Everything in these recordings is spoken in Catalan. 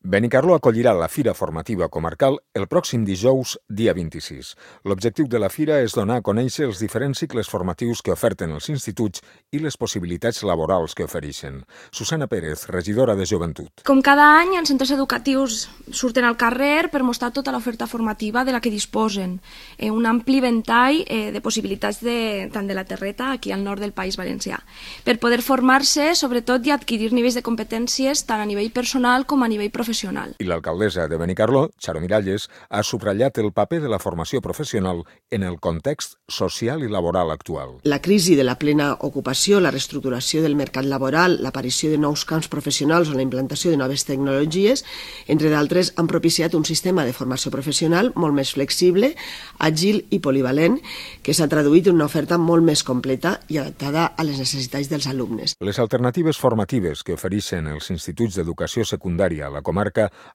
Benicarló acollirà la Fira Formativa Comarcal el pròxim dijous, dia 26. L'objectiu de la fira és donar a conèixer els diferents cicles formatius que oferten els instituts i les possibilitats laborals que ofereixen. Susana Pérez, regidora de Joventut. Com cada any, els centres educatius surten al carrer per mostrar tota l'oferta formativa de la que disposen. Un ampli ventall de possibilitats tant de la terreta, aquí al nord del País Valencià, per poder formar-se, sobretot, i adquirir nivells de competències tant a nivell personal com a nivell professional. I l'alcaldessa de Benicarló, Charo Miralles, ha subratllat el paper de la formació professional en el context social i laboral actual. La crisi de la plena ocupació, la reestructuració del mercat laboral, l'aparició de nous camps professionals o la implantació de noves tecnologies, entre d'altres, han propiciat un sistema de formació professional molt més flexible, àgil i polivalent, que s'ha traduït en una oferta molt més completa i adaptada a les necessitats dels alumnes. Les alternatives formatives que ofereixen els instituts d'educació secundària a la comarca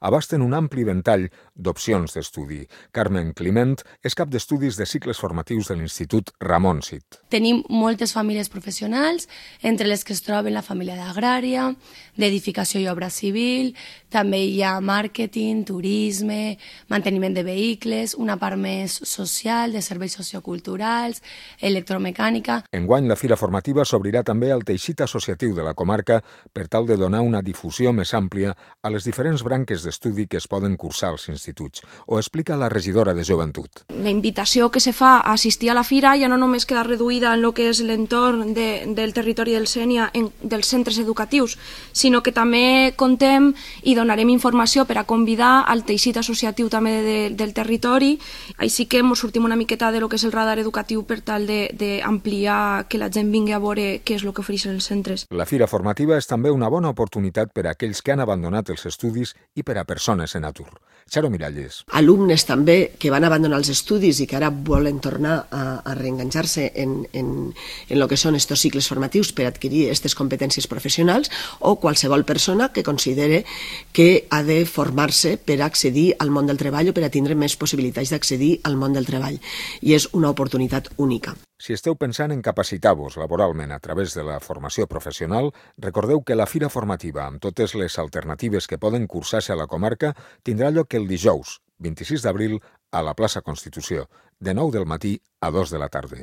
abasten un ampli ventall d'opcions d'estudi. Carmen Climent és cap d'estudis de cicles formatius de l'Institut Ramon Cid. Tenim moltes famílies professionals, entre les que es troben la família d'agrària, d'edificació i obra civil, també hi ha màrqueting, turisme, manteniment de vehicles, una part més social, de serveis socioculturals, electromecànica. Enguany, la fira formativa s'obrirà també al teixit associatiu de la comarca per tal de donar una difusió més àmplia a les diferents branques d'estudi que es poden cursar als instituts. Ho explica la regidora de Joventut. La invitació que se fa a assistir a la fira ja no només queda reduïda en el que és l'entorn del territori del Sénia, dels centres educatius, sinó que també contem i donarem informació per a convidar al teixit associatiu també del territori. Així que ens sortim una miqueta de lo que és el radar educatiu per tal d'ampliar que la gent vingui a veure què és el que ofereixen els centres. La fira formativa és també una bona oportunitat per a aquells que han abandonat els estudis i per a persones en atur. Charo Miralles. Alumnes també que van abandonar els estudis i que ara volen tornar a reenganxar-se en el que són estos cicles formatius per adquirir aquestes competències professionals, o qualsevol persona que considere que ha de formar-se per accedir al món del treball o per a tindre més possibilitats d'accedir al món del treball. I és una oportunitat única. Si esteu pensant en capacitar-vos laboralment a través de la formació professional, recordeu que la fira formativa, amb totes les alternatives que poden cursar-se a la comarca, tindrà lloc el dijous, 26 d'abril, a la plaça Constitució, de 9 del matí a 2 de la tarda.